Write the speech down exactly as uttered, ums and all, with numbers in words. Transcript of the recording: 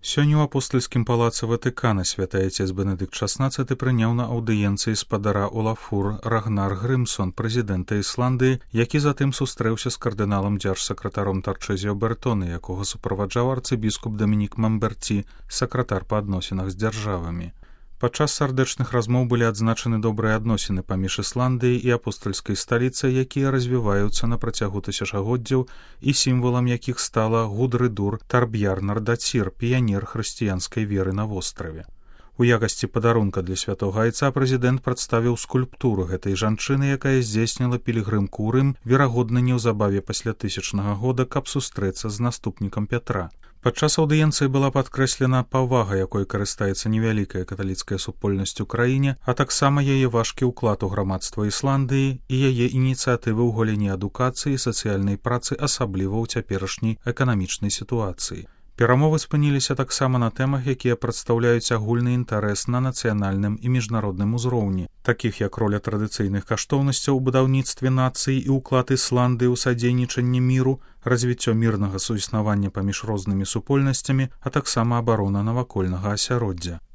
Сёння ў апостальскім палацы Ватыкана святы айцец Бенедыкт шаснаццаты прыняў на аўдыенцыі спадара Олафур Рагнар Грымсон, прэзідэнта Ісландыі, які затым сустрэўся з кардыналам дзяржсакратаром Тарчэзіо Бертоны, якога суправаджаў арцыбіскуп Дамінік Мамберці, сакратар па адносінах з дзяржавамі. Падчас сардэчных размоў былі адзначаны добрыя адносіны паміж Ісландыяй і апостальскай сталіцай, якія развіваюцца на працягу тысячагоддзяў і сімвалам якіх стала Гудрыдур Тарб'ярнар Дацір, піянер хрысціянскай веры на востраве. У якасці падарунка для святога айца прэзідэнт прадставіў скульптуру гэтай жанчыны, якая здзейсніла пілігрымку ў Рым, верагодна неўзабаве пасля тысячнага года, каб сустрэцца з наступнікам Пятра. Падчас аўдыенцыі была падкрэслена павага, якой карыстаецца невялікая каталіцкая супольнасць у краіне, а таксама яе важкі ўклад у грамадства Ісландыі і яе ініцыятывы ў галіне адукацыі і сацыяльнай працы, асабліва ў цяперашняй эканамічнай сітуацыі. Перамовы спыніліся таксама на тэмах, якія прадстаўляюць агульны інтарэс на нацыянальным і міжнародным узроўні, такіх як роля традыцыйных каштоўнасцяў у будаўніцтве нацыі і ўклад Ісландыі ў садзейнічанне міру, развіццё мірнага суіснавання паміж рознымі супольнасцямі, а таксама абарона навакольнага асяроддзя.